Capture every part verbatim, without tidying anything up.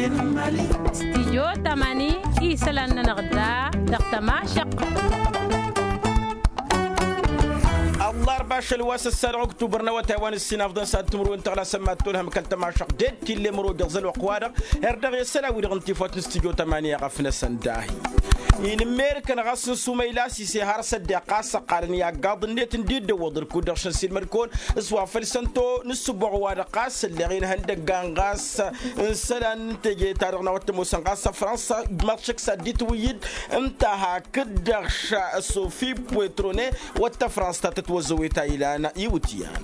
Stijyo tamani isălan-nănăɣ da dăɣ-tămašăq. Ăllarba ašăl wa s-ăssadăɣ ăktubăr n-awătay wa n-ǝssin afḍăn s-ad-timǝrwen tăɣlasăn mad-tolhăm kăl-tămašăq d-ed tillem rodeɣ zăl wăqq-wa-dăɣ. Her-dăɣ i-sălan-wi-dăɣ n-tifawt n-stijyo tamani a ɣăf-năsăn dahi. Inǝmmerǝkăn ɣas n-sumăyla sise har s-ăddeɣ ɣas ăqqalăn i-aggaḍ-net n-dd-ăwwăḍ ǝlkud-dăɣ šăn silmăd-kăwăn s-wa făl săn-to n-ǝssǝboɣ-wa-dăɣ ɣas ălleɣ-in ihăndăggan ɣas n-isălan n-teje-ta-dăɣ n-a-wa t-ămoosăn ɣas ăfrănsa ǝjmaḍ šăkk s-ad-dd-itwǝyyǝd. Ǝnta hakd-dăɣ sofi poetrone wăr t-ăfrănsa ta tătwăzzăwet a ilan iwǝtyan.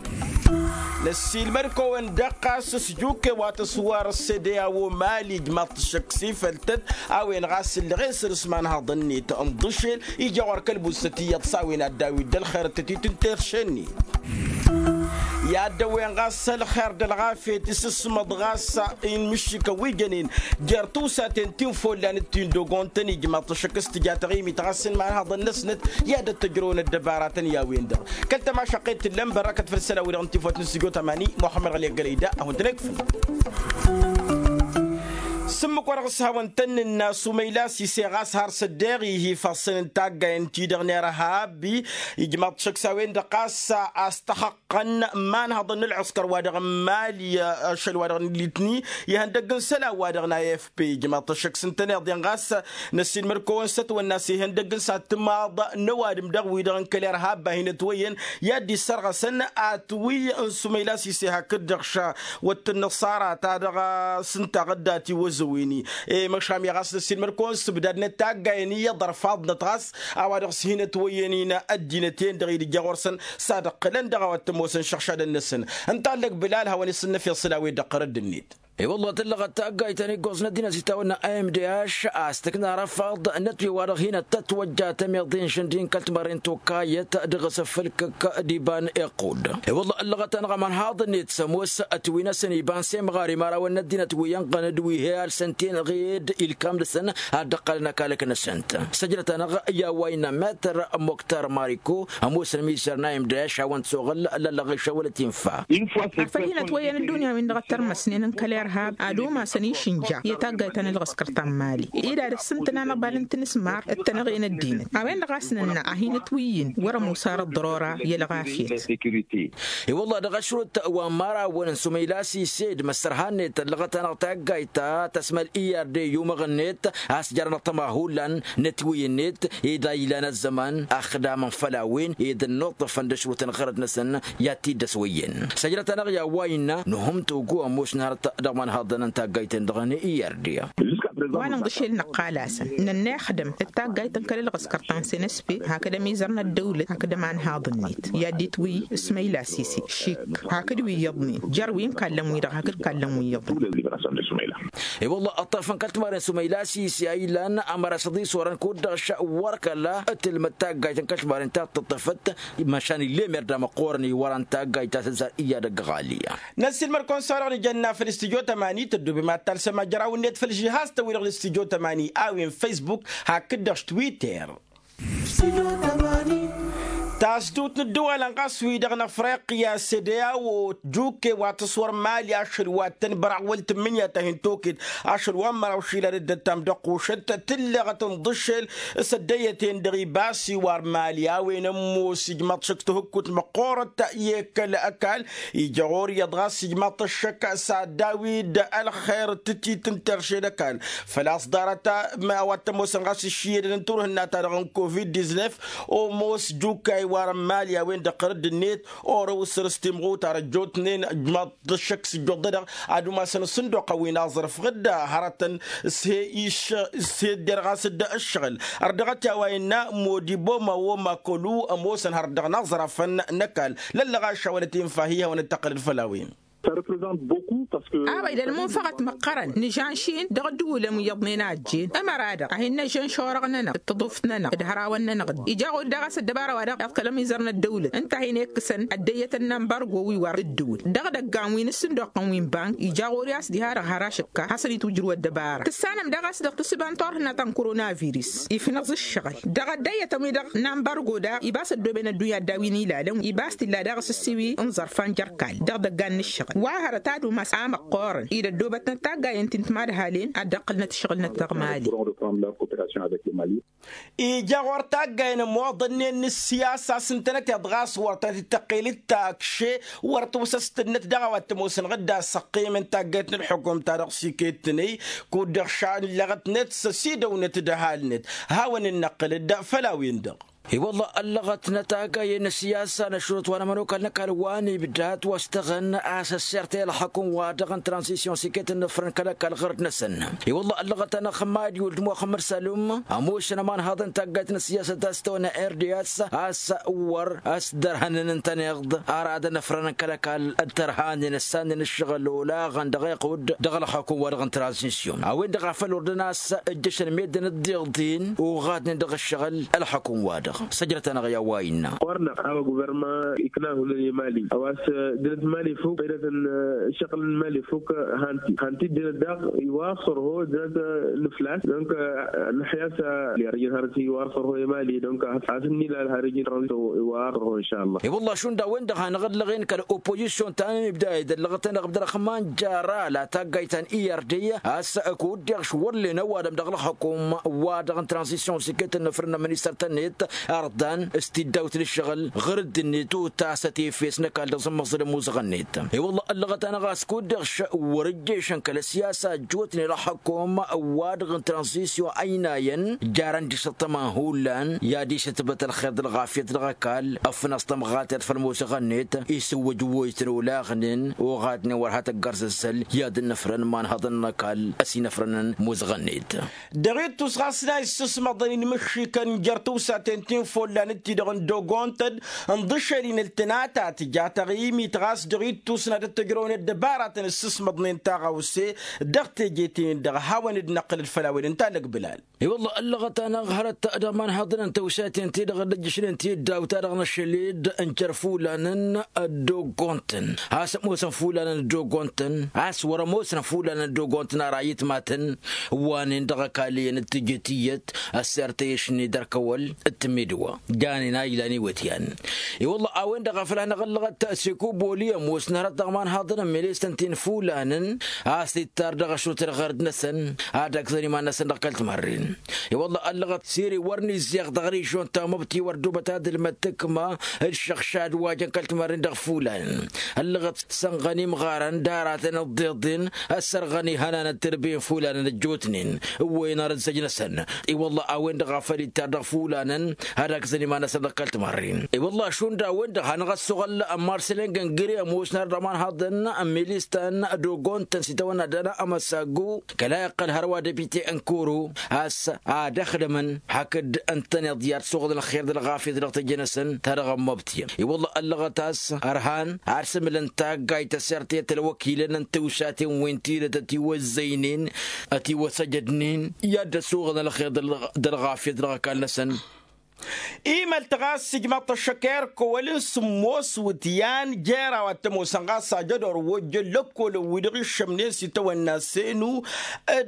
Năssiilmăd-kăwăn-dăɣ ɣas s-juke wa tăswar s-ede a-wo mali ǝjmaḍ-t šăkk s-ifăl-tăt a-wen ɣas ǝlleɣ-en săr-s imanhaḍăn-net ǝnḍǝšel ija ɣur-kăl-bussăt iyyăḍ s-a-wen ad-dd-awǝy dd-ălxer tătit n-terše-net. I-ad-dăwwen ɣas ălxer d-ălɣafyăt isǝsmăḍ ɣas inmǝššǝkăn wi jănen jer-tiwsaten ti n-follan d-ti n-dogon-tăn ijmaḍ-t šăkk s-tǝja taɣimit ɣas n-imanhaḍăn-năsnăt i-ad-ăttăjrăwăn ăddăbaratăn i-a-wen-dăɣ. Kăl-tămašăqqet tǝllăm bărrăkăt făll-isălan-wi-dăɣ n-tifawt n-stujo tamani muxămmăd ɣăli ăggălăy da a hawăn-tăn-ekfǝl. S-ǝmmǝk wa dăɣ-s hawăn-tăn-nǝnna sumăyla sise ɣas har s-ăddeɣ ihi făssăn n-taggayen-ti-dăɣ n-irhabi. Ijmaḍ-t šăkk s-a-wen-dăɣ ɣas a-s tăxăqqăn imanhăḍăn n-ălɣǝskăr wa dăɣ-n mali ašăl wa dăɣ-n litni ihăndăgg n-isălan wa dăɣ-n ifp ijmaḍ-t šăkk s-ǝntăneḍ-en ɣas. Năssiilmăd-kăwăn s-ătwănna s-ihăndăgg n-satmaḍ n-ăwadǝm dăɣ-wi-dăɣ n-kăl-irhab a hin-ătwăyyăn i-ad-dd-issărɣăsăn atwǝy n-sumăyla sise hakd-dăɣ ša wăr t-nǝṣara ta dăɣ-s ǝnta ɣǝdda tiwăzzăwen-i. Măšan i-ɣas năssiilmăd-kăwăn s-ǝbdadnăt taggayen iyyăḍ ărfaḍnăt ɣas a-wa dăɣ-s hin-ătwăyyăn-in ăddinăt-en-dăɣ idǝjja ɣur-săn s-ad-ǝqqǝlăn dăɣ-a-wa t-ămoosăn išăɣšadăn-năsăn. Ǝnta a ăllăg bǝlal hawăn-isǝnnăf i-isălan-wi-dd ăqqărăd-net. I-wălla tǝllăɣăt taggayt ta n-iggoẓ n-ăddinăt s-itawănna a m d h a-s tǝkna răfaḍ n-ătwǝy wa-dăɣ hin-ăttătwăjja tămeḍe n-išǝndǝy n-kăl-timărren tokayăt dăɣ-s ăffălkăk d-iba n-iqqud. I-wălla ăllăɣăt-anăɣ ămănhaḍ-net s-ămoos ătwǝy-năsăn iba n-semɣar imărawăn n-ăddinăt wi ănɣăn d-wi he-alsăn tenɣed ilkam-năsăn ad-dd-ǝqqălăn ăkalăk-năsăn-t. Săjdăt-anăɣ i-a-wa innă metăr moktar mariko ămoosăn mizăr n-a m d h a-wen-t s-oɣǝl lăllăɣ išăwălăt infa. Ar făl hin-ătwăyyăn ăddunya-win-dăɣ ăttărmăsnen n-kăl-irhab ad-umasăn išǝnja i-taggayt ta n-ălɣǝskăr ta n-mali ed ad-ăssǝntăn anăbal n-tinǝsmar d-tănăɣe n-ăddinăt a-wen-dăɣ a-s nǝnna a hin-ătwǝyyǝn wăr-ămoos ar ăḍḍărora i-ălɣafyăt. I-wălla dăɣ-ašrut wa n-imărawăn n-sumăyla s-ised măssărha-net ăllăɣăt-anăɣ taggayt ta tăsmăl i-arde i-umăɣ-net a-s jarăn-dăɣ tămahullan n-ătwǝy-net ed a ilan ăzzăman ăxdamăn făll-a-wen ed ănnuṭṭăfăn d-ašrutăn ɣărăt-năsăn i-ad-t-dd-ăswăyyăn. Săjdăt-anăɣ i-a-wa innă nuhǝm togo ămoosnăt dăɣ-imanhaḍăn n-taggayt-en-dăɣ n-i-arde. Wa n-inḍǝšel năqqal-asăn nănnăyăxdăm d-taggayt n-kăl-ălɣǝskăr ta n-senespe hakd ămizăr n-ăddăwlăt hakd ămanhaḍ-net i-ad-dd-itwǝy ismăyla sise šik hakd wi iyyăḍnen jer-wi n-kallăn-wi-dăɣ hakd kallăn-wi iyyăḍnen. I-wălla ăṭṭăfăn kăl-timărren sumăyla sise a ilan ămăra s-aḍis orăn kud-dăɣ š-wăr kăla tǝlmăd taggayt n-kăl-timărren ta t-ăṭṭăfăt. Măšan illemer d-amăqqoorăn iwăran taggayt ta s-ăzzar iyyăd ăgg ɣalya. Năssiilmăd-kăwăn s-a-dăɣ nǝjănna făll-istudyo tămani tăddoobem ad-talsăm ajăraw-net făll-žihaz-tăn-wi-dăɣ n-istudyo tămani a-wen facebook hakd-dăɣ s-twitter. Tasdut n-ǝddǝwalăn ɣas wi-dăɣ n-afriqya s-ede a-wo jukke wa tǝswăr mali ašăl wa t-tăn-băraɣ wăl tǝmmǝnǝya ta hin-toked ašăl wa n-măraw išilan d-ăttam d-ăqqušăt tǝlleɣăt ǝnḍǝšel. S-ăddăyyăt-en dăɣ-ibas iwar mali a-wen ămoos ijmaḍ šăkk tihǝkkut măqqoorăt i-kăl-ăkall. Ija ɣur-iyyăḍ ɣas ijmaḍ-t ăššăk s-ad-daw-dd ălxer d-tǝtit n-terše d-ăkall făl-a-s ḍarăt a-wa t-ămoosăn ɣas ǝššǝyyădăn n-turhǝnna-ta-dăɣ n-covid-diznef. Ămoos jukka iwar n-mali a-wen-dăɣ ɣărădd-net orăw săr-s timɣutar ăjjootnen ǝjmaḍ-t ăššăk s-ǝjjuḍ-dăɣ ad-umasăn asǝnduq a-wen aẓrǝf ɣǝdda hărătăn s-he-iš s-he-dd-erɣas-dd ǝššăɣǝl. Ărdăɣăt i-a-wa innă modibo ma woma kălu ămoosăn har dăɣ-inaẓrafăn n-ăkall. Lăllăɣ ašăwălăt infa hi-hawăn-dd-tăqqălăd făll-a-wen. Abăy d-ălmunfăɣăt măqqărăn nǝžănšin dăɣ-ǝddǝwǝlăn wi iyyăḍnen a ăjjeen ămăra-dăɣ a hin-năžănš orăɣ-nănăɣ d-tăḍuft-nănăɣ d-hărawăn-nănăɣ. Ija ɣur-dăɣ a-s ăddăbara-wa-dăɣ iḍkăl ămizăr n-ăddăwlăt ǝnta a hin-ekkǝsăn ăddăyyăt n-ambargo wi wăr ǝddǝwǝl dăɣ-idăggan wi n-ǝssǝnduqqăn wi n-bank ija ɣur-i a-s diha-dăɣ har ašǝkka hasăn-itwǝjrǝw ăddăbara tǝssanăm daɣ a-s dăɣ-tǝssǝba n-turhǝnna ta n-koronavirǝs. Ifnăẓ ǝššăɣǝl dăɣ-ăddăyyătăn-wi-dăɣ n-ambargo daɣ ibas ăddooben ăddunya dd-a-wen ilalăn ibas t-illa daɣ asǝssiwi n-iẓărfan jer-kall dăɣ-idăggan n-ǝššăɣǝl. ăddăqqăl wa hărăt ad-umas amăqqoorăn-i d-ăddoobătnăt taggayen ti n-timadhalen ad-dd-ăqqǝlnăt ǝššăɣǝlnăt dăɣ-mali. Ija ɣur-taggayen ămmoḍănnen n-ǝssiyasa a-s ǝntănăteḍ ɣas wăr tăt-dd-tăqqel d-takše wăr tǝwsăstănnăt dăɣ-a-wa t-ămoosăn ɣǝdda a-s ăqqimăn tagget n-ălxukum-ta-dăɣ s-iket-tăn-i kud-dăɣ šallăɣătnet s-ăsidăwnăt d-ăhalnet. Hawăn-in-năqqǝl-dd făll-a-wen-dăɣ. I-wălla ăllăɣătnăt taggayen n-ăssiyasa n-ăššurăt wa n-ămănokal n-ăkall wa n-ibdat wa s-tăɣăn a-s ăssirtăy ălxukum-wa-dăɣ n-tranzisyon s-iket n-afrăn kăl-ăkall ɣărăt-năsăn. I-wălla ăllăɣăt-anăɣ xămmad iwǝl d-muxămmăd sălum ămoosăn ămanhaḍăn tagget n-ăssiyasăt a-s tăwănna rds a-s wăr ăsdărhănăn ǝntăneḍ aradăn afrăn kăl-ăkall d-tărhanen ăssannen ǝššăɣǝl olaɣăn dăɣ-iqud dăɣ-ălxukum-wa-dăɣ n-tranzisyon a-wen-dăɣ a făl ordăn a-s ǝjjăšăn meddǝn dd-iḍin uɣadnen dăɣ-ǝššăɣǝl ălxukum-wa-dăɣ. Săjrăt-anăɣ i-a-wa innă. Ɣur-năɣ a-wa guvărma ikna hullan i-mali a-wa s-ǝddǝnăt mali fuk ăddinăt n-ǝššăɣǝl n-mali fuk. Han-t-dd-ǝddǝnăt daɣ iwar s-ărho ǝddǝnăt n-ǝflas donc nǝḥya s-lijăn har-ăj iwar s-ărho i-mali donc a-s ǝnnilal har-ăj iwar s-ărho inšalla. I-wălla šund a-wen-dăɣ hanăɣ-ăllăɣen kăl-opozisyon ta n-ibda i-dd-ăllăɣăt-anăɣ ǝbdăr ăxman jara la taggayt ta n-i r d a-s kud-deɣ š-wăr-len ăwadǝm dăɣ-ălxukum wa dăɣ-n tranzisyon s-iket n-afrăn n-ministăr-tăn-net ărḍan s-tiddawt n-ǝššăɣǝl ɣur-dd-net utasăt efes n-ăkall dăɣ-s ămmăẓǝl ămuzăɣăn-net. I-wălla ăllăɣăt-anăɣ a-s kud-deɣ š-wăr-ǝjješăn kăl-ăsiyasa ăjjootnen ălxukum wa dăɣ-n tranzisyon ăynayăn jarăn d-išǝṭṭămăn hullan i-ad-išǝtbăt ălxer d-ălɣafyăt dăɣ-ăkall ăffăn a-s tămɣatert făll-ămuzăɣăn-net isǝwwǝj wăytăn olaɣnen oɣadnen wăr ha tăggărzăzzăl i-ad-dd-năfrăn imanhăḍăn n-ăkall ăsinăfrănăn ămuzăɣăn-net. Dăɣ-ittus ɣas n-a issǝsmăḍăn inmǝššikăn jer-tǝwsaten ti n-follan d-ti-dăɣ n-dogontăn ǝnḍǝšel-in ǝltǝnata tǝja taɣimit ɣas dăɣ-ittus n-ad-ăttăjrăwăn ăddăbaratăn ǝssǝsmăḍnen taɣăwse dăɣ-teje-ten-in-dăɣ a hawăn-dd-năqqǝl d-făll-a-wen ǝnta n-ăgbǝlal. I-wălla ăllăɣăt-anăɣ hărăt d-ămanhăḍăn n-tǝwsaten-ti-dăɣ dd-ǝjjǝšnen ti dd-awta-dăɣ n-ašăl-dd n-jer-fulanăn ăddogontăn a-s ămoosăn fulanăn ăddogontăn a-s wăr-ămoosăn fulanăn ăddogontăn ara itmatăn ǝwwanen dăɣ-ăkall iyyăn d-tǝjǝt iyyăt ăssirtăy ašni d-ărkăwăl d-tǝmmidǝwa janen a ilan iwătyan. I-wălla a-wen-dăɣ a făl hanăɣ-ăllăɣăt s-ikuboli ămoosăn hărăt dăɣ-imanhăḍăn n-milistăn ti n-fulanăn a-s ittar dăɣ-ašrut ălɣerd-năsăn ad-ăgzăn iman-năsăn dăɣ-kăl-timărren. I-wălla ăllăɣăt siri wăr n-izzeɣ dăɣ-rižyon ta măbti wăr dubăt ad-ǝlmăd tǝkma d-išăɣšad wa jăn kăl-timărren dăɣ-fulanăn ăllăɣăt sănɣăn imɣarăn d-aratăn ǝḍḍeḍen ăssărɣăn ihănan d-tǝrbǝyăn fulanăn ăjjootnen ǝwwăyăn arǝzzăj-năsăn. I-wălla a-wen-dăɣ a făl ittar dăɣ-fulanăn ad-agzăn iman-năsăn dăɣ-kăl-timărren. I-wălla šund a-wen-dăɣ hanăɣ-ăssuɣăl marselăn găngăre ămoosnăr d-ămanhăḍăn n-milistăn d-ogontăn s-itawănna dăɣ-amăsaggu kăla iqqăl hărwa depite n-kuru a-s ad-ăxdămăn hakd ǝntăneḍ i-ad-suɣǝlăn ălxer d-ălɣafyăt dăɣ-teje-năsăn ta dăɣ-ămmăbtǝyăn. I-wălla ăllăɣăt a-s ărhan ad-sǝmǝlăn taggayt ăsertăyăt ălwăkilăn n-tiwsaten wi n-tidǝt ătiwăzzăynen ătiwăsăjădnen i-ad-dd-ăsuɣǝlăn ălxer d-ălɣafyăt dăɣ-ăkall-năsăn. Imăl-t ɣas ijmăḍ-t ăššăk i-ărkăwăl n-sǝmmos wǝtyan jer-a-wa t-ămoosăn ɣas ajădor wojjăn lăkkolăn-wi-dăɣ iššămnen s-itawănna senu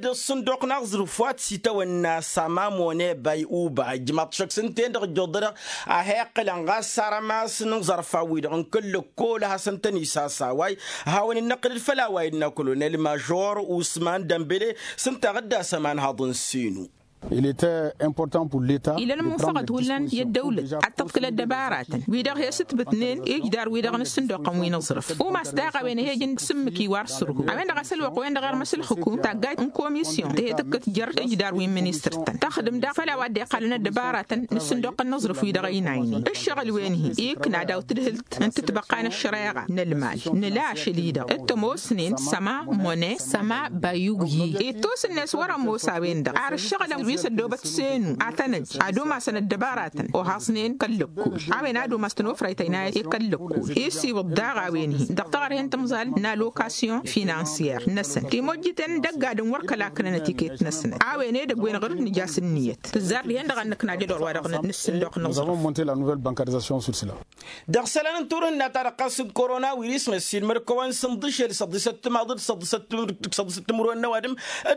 d-ăṣṣǝnduq n-aẓrǝf wa t-s-itawănna săma mone bay uba ijmăḍ-t šăkk s-ǝnta-en-dăɣ ǝjjuḍănăɣ a he-iqqǝlăn ɣas arămas n-iẓărfan-wi-dăɣ n-kăl-lăkkol a hasăn-tăn-isasaway. Hawăn-in-năqqǝl d-făll-a-wa innă kolonel mažor usman dămbele s-ǝnta a ɣǝddas ămanhaḍ n-senu. Ilăn ămunsăɣăt hullan i-ăddăwlăt ad-tǝḍkǝl ăddăbaratăn wi-dăɣ he-sǝtbǝtnen ijdar-wi-dăɣ n-ǝssǝnduqăn wi n-aẓrǝf umas daɣ a-wen ăhejăn d-sǝmmǝk iwar sǝrhu a-wen-dăɣ a-s ălwăqq-wen-dăɣ irmăs ǝlxǝkum taggayt n-komisyon tăhe-tǝkkăt jer-ijdar wi n-ministăr-tăn tăxdǝm daɣ făll-a-wa dd-iqqalăn ăddăbaratăn n-ǝssǝnduqăn n-aẓrǝf wi-dăɣ ăynaynen ǝššăɣǝl-wen-hi ikna daw-tǝdhǝlt n-tǝtbăqqa n-ăššăreɣa n-ălmal nǝla ašăl-i-dăɣ t-ămoosnen săma mone săma bayug-i ittus-net wăr-ămoos a-wen-dăɣ ar ǝššăɣǝlăn wi s-ăddoobăt senu ad-tăn-ăj ad-umasăn ăddăbaratăn ohaẓnen kăl-lăkkol a-wen ad-umas tănofrayt ăynayăt i-kăl-lăkkol isiwǝḍ daɣ a-wen-hi dăɣ-taɣărhen tǝmẓal n-alokasyon finansyăr-năsăn timojjiten n-dăgg-adǝm wăr kăla ǝknănăt iket-năsnăt a-wen edăgg-wen ɣur-dd nǝja s-ǝnniyăt tǝzzar dihen-dăɣ ad-nǝkna jădor-wa-dăɣ n-ǝssǝnduq n-aẓrǝf. Dăɣ-isălan n-turhǝnna-ta-dăɣ ɣas n-korona wiris măssin măd-kăwăn s-ǝnḍǝšel s-ăḍḍisăt timaḍ d-s-ăḍḍisăt timǝrwen n-ăwadǝm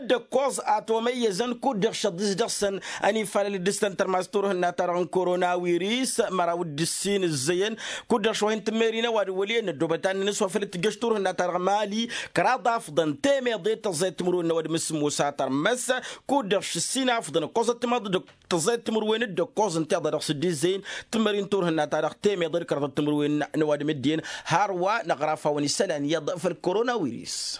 d-ǝkkoẓ atomăyyăzăn kud-dăɣ šăḍḍi. dăɣ-săn ănifalăl d-ǝstăn tărmas turhǝnna-ta-dăɣ n-korona wiris măraw d-ǝssin ǝzzăyăn. Kud-dăɣ šwăh-in tǝmmeri n-ăwadǝm wăl' iyyăn n-ăddoobăt annăn s-wa făl t-tǝjjăš turhǝnna-ta-dăɣ mali. Kăraḍ afḍăn temeḍe tăẓẓayăt timǝrwen n-ăwadǝm s-sǝmmos a tărmăs. Kud-dăɣ šǝssin afḍăn ǝkkoẓăt timaḍ d-tăẓẓayăt timǝrwen d-ǝkkoẓ ǝnta iḍa dăɣ-s dd-izzăyăn. Tǝmmări n-turhǝnna-ta-dăɣ temeḍe d-kăraḍăt timǝrwen n-ăwadǝm dd-iyyăn. Hărwa năɣraf-awăn isălan iyyăḍ făll-korona wiris.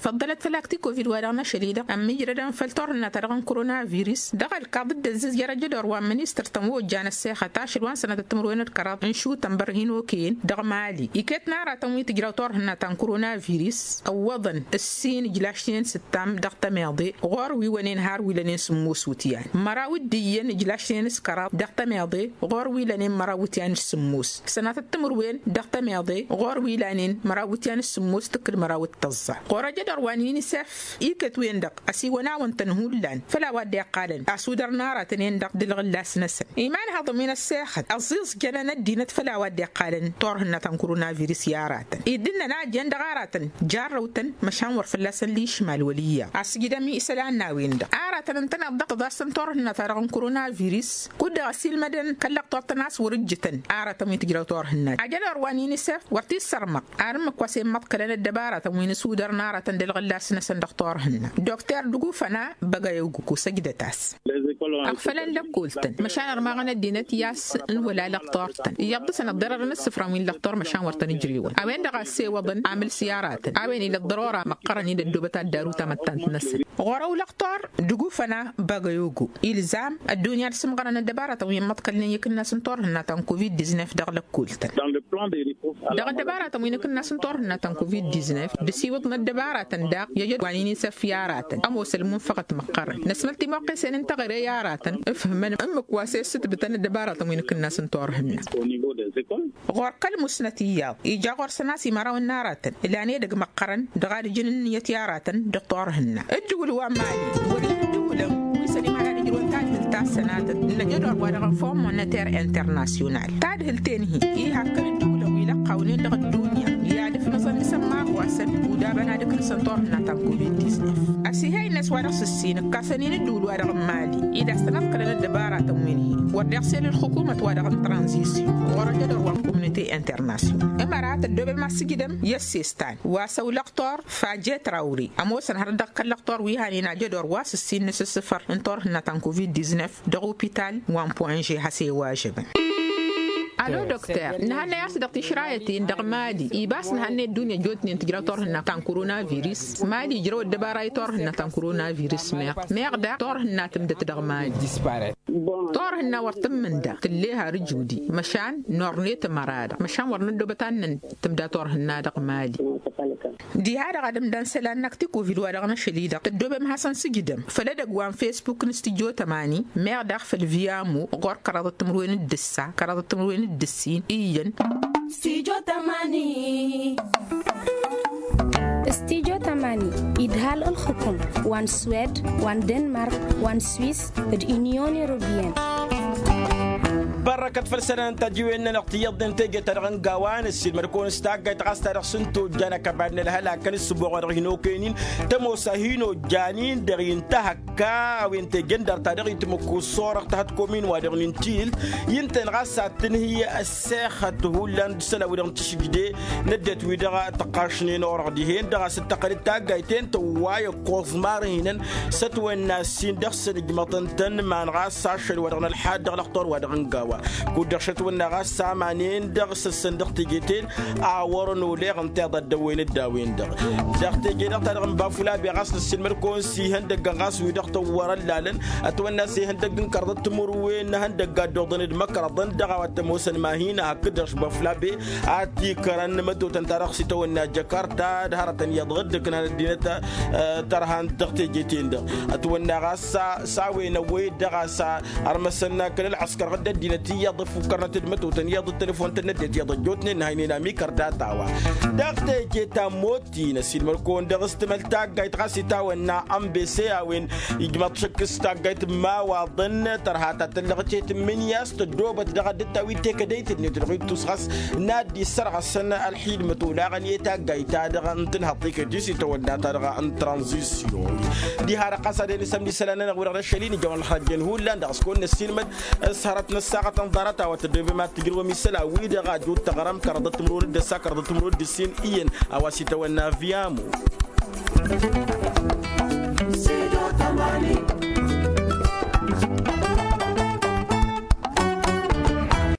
Făḍḍălăt făll-akti kovid wa dăɣ-năšăl i-dăɣ ămmijrădăn făll-turhǝnna-ta-dăɣ n-korona viris dăɣ-ălkaḍ dd-ăzzǝzjăr ajădor wa n-ministăr-tăn wa ojjan ăssexăt ašăl wa n-sănatăt timǝrwen d-kăraḍ n-išutăn bărhin okăyăn dăɣ-mali iket n-aratăn wi tǝjraw turhǝnna ta n-korona viris. Ǝwwăḍăn ǝssin ǝjlašnen s-ǝttam dăɣ-tămeḍe ɣur-wi wănen har wi lănen sǝmmos wǝtyan măraw dd-iyyăn ǝjlašnen s-kăraḍ dăɣ-tămeḍe ɣur-wi lănen măraw wǝtyan s-sǝmmos. Sănatăt timǝrwen dăɣ-tămeḍe ɣur-wi lanen măraw wǝtyan s-sǝmmos tǝkkǝl măraw d-tăẓẓa ɣur-ăjădor wa n-inisef. Iket-wen-dăɣ ăsiwăn-awăn-tăn hullan făll-a-wa dd-iqqalăn asudăr n-aratăn-en-dăɣ d-ǝlɣǝllas-năsăn imanhăḍăn wi n-ăssexăt ăẓẓiẓjălăn ăddinăt făll-a-wa dd-iqqalăn turhǝnna ta n-korona viris i-aratăn idd-ǝnnăn a ăjjeen dăɣ-aratăn jarrăw-tăn măšan wăr fălla-săn lišmal wăl' iyyăḍ asǝjdăm isălan n-a-wen-dăɣ aratăn ǝntăneḍ-dăɣ tăḍasăn turhǝnna-ta-dăɣ n-korona viris kud-dăɣ ăsilmădăn kăl-lăqtor-tăn a-s wăr-ǝjjǝtăn aratăn wi tǝjrăw turhǝnna ajădor wa n-inisef wăr t-issărmăɣ. Arǝmmǝk wa s-immăḍkălăn ăddăbaratăn wi n-asudăr n-aratăn d-ălɣǝllas-năsăn dăɣ-turhǝnna dukter dugufăn a băgăyăw gǝku săjdăt-as. Ăɣfălăn lăkkol-tăn măšan ărmaɣăn ăddinăt i-a-s n-wăla lăqtor-tăn iyyăḍ dăɣ-săn ăḍḍărărăn ǝssǝfrăn wi n-lăqtor măšan wăr tăn-ǝjrewăn a-wen-dăɣ a ăssewăḍăn amǝls i-aratăn a-wen ila ăḍḍărora măqqărăn-in ăddoobăt ad-daru tamăttant-năsăn. Ɣur-ăw lăqtor dugufăn a băgăyăw gǝku ilzam ăddunya ad-sǝmɣărăn ăddăbaratăn wi n-imăḍkălnen i-ikǝnnas n-turhǝnna ta n-covid-diznef dăɣ-lăkkol-tăn. Dăɣ-ăddăbaratăn wi n-ikǝnnas n-turhǝnna ta n-covid-diznef d-ăsiwǝḍ n-ăddăbaratăn daɣ i-ajăd wa n-inisef i-aratăn ămoos ălmunfăɣăt măqqărăn năsmăl timoqqesen n-teɣăre i-aratăn ǝfhǝmăn ǝmmǝk wa s-e-ǝssǝtbǝtăn ăddăbaratăn wi n-ikǝnnas n-turhǝnna. Ɣur-kăl-musnăt iyyăḍ ija ɣur-săn a-s imărawăn n-aratăn ǝlan edăgg măqqărăn dăɣ-ad-ǝjǝn ǝnniyăt i-aratăn dăɣ-turhǝnna. Ǝddǝwǝl wa n-mali wăr-ila ǝddǝwǝlăn wi s-ănimăra ad-ǝjrǝwăn tadhǝlt ta s-sănatăt n-ajădor wa dăɣ-fond moneter internasyonal tadhǝlt-en-hi iha ǝkkăn ǝddǝwǝlăn wi lăqqawnen dăɣ-ăddunya i-ad-ǝfnăẓăn isămmahwasăn udabăn ad-ǝknǝsăn turhǝnna ta n-covid-diznef. Ăsihay-net wa dăɣ-s ǝssin ǝkkasăn-in ǝddǝwǝl wa dăɣ-n mali ila s-tăn-ăḍkălăn ăddăbaratăn wi n-hi wăr deɣ s-el ǝlxǝkumăt wa dăɣ-n tranzisyon ɣur-ăjădor wa n-komnite internasyonal ămăra tăddoobem ad-sǝjdăm i-ăssestan wa s-ăwlăɣ tor fajet rawri ămoosăn hărăt dăɣ-kăl-lăqtor wi hanen ajădor wa s-ǝssin n-asǝssǝfăr n-turhǝnna ta n-covid-diznef dăɣ-opital wa n-poinže has-e-wajăbăn. Alo dokter nǝhănnăy a-s dăɣ-tišrayăt-in dăɣ-mali iba a-s nǝhănnăy ăddunya ăjjootnen tǝjraw turhǝnna ta n-korona viris mali ǝjrăw ăddăbara i-turhǝnna ta n-korona viris meɣ meɣ daɣ turhǝnna tǝmdăt dăɣ-mali. Turhǝnna wăr tǝmmǝnda tǝlle har ǝjudi măšan nornet ămăra-dăɣ măšan wăr năddoobăt ad-năn tǝmda turhǝnna dăɣ-mali. Diha-dăɣ ad-ǝmdan isălan n-akti kovid wa dăɣ-năšăl-i-dăɣ tăddoobem hasăn-sǝjdăm făll-edăgg wa n-fesbuk n-studyo tămani meɣ daɣ făll-viyamo ɣur-kăraḍăt timǝrwen d-ǝssa kăraḍăt timǝrwen d-ǝssin iyyăn. Studyo tămani idhal ǝlxǝkum wa n-swed wa n-denmark wa n-swis d-unyon europeyăn. Bărrăkăt făll-isălan n-tajiwen-nănăɣ tiyyăḍnen teje-ta-dăɣ n-gawa n-ăssiilmăd-kăwăn s-taggayt ɣas ta dăɣ-s n-tojjan ăkăbad n-ălhălak n-ǝssǝboɣ wa dăɣ-hin-okăyăn-in tămoos a hin-ojjan-in dăɣ-i n-tahăkka a-wen teje n-dar ta dăɣ-itmǝkku s-orăɣ tahătkom-in wa dăɣ-nǝntilt i-ǝntăyăn ɣas a t-tǝnhǝy ăssexăt hullan d-isălan-wi-dăɣ n-tišǝjde n-ăddinăt-wi-dăɣ tăqqašnen orăɣ dihen-dăɣ a-s dd-tăqqăl-dd taggayt-en tăwway ǝkkoẓ marhinăn s-ătwănna ǝssin dăɣ-săn ǝjmăḍăn-tăn iman ɣas ašăl wa dăɣ-nălḥad dăɣ-lăxtor wa dăɣ-n gawa kud-dăɣ šătwănna ɣas aman-en-dăɣ s-ăssăn dăɣ-teje-ten a wărăn oleɣ ǝnta iḍa dd-ăwwen-dd a-wen-dăɣ. Dăɣ-teje-dăɣ ta dăɣ-n bafulabe ɣas năssiilmăd-kăwăn s-ihăndăgg ɣas wi-dăɣ tăwwărăllalăn ătwănna s-ihăndăgg n-kărḍăt timǝrwen n-ehăndăgg ad-dd-oḍăn d-măkrăḍăn dăɣ-a-wa t-ămoosăn ma hin-ahăkk-dd dăɣ-s bafulabe a t-ikrăn mătotăn-ta-dăɣ s-itawănna jăkarta d-hărătăn iyyăḍ ɣǝddǝknan ăddinăt tărhant dăɣ-teje-ten-dăɣ. Ătwănna ɣas s-a-wen ăwwăy-dd dăɣ-a-s ărmăsăn kăl-ălɣăskăr ɣǝdd ăddinăt. iyyăḍ ăfukkărnăt d-mătotăn iyyăḍ d-telefon-tăn n-ăddinăt iyyăḍ ăjjootnen n-ha ăynăyăn amikăr data-wa. Dăɣ-teje ta n-motti n-ăssiilmăr-kăwăn dăɣ-s timăl taggayt ɣas itawănna ănbese a-wen ijmăḍ šăkk s-taggayt n-imawaḍăn tărha ta tăllăɣ tehet n-imǝnǝya s-tăddoobăt dăɣ-ad-dd-tawit tekădăyt-net dăɣ-ittus ɣas n-ad-dd-issărɣăsăn ălxidmăt olaɣăn i-taggayt-ta-dăɣ n-tǝnhăḍt iket-i s-itawănna-ta-dăɣ n-tranzisyon. Diha-dăɣ ɣas ad-en isămd isălan-nănăɣ wi-dăɣ d-ašăl-i nǝjăwăn ălxărăjjăn hullan dăɣ-s kăwăn-năssiilmăd s-hărăt n-ăssaɣăt n-ḍarăt a-wa tăddoobem ad-tǝjrǝwăm isălan-wi-dăɣ a jot taɣrăm kăraḍăt timǝrwen d-ăssa kăraḍăt timǝrwen d-ǝssin iyyăn a-wa s-itawănna viamo.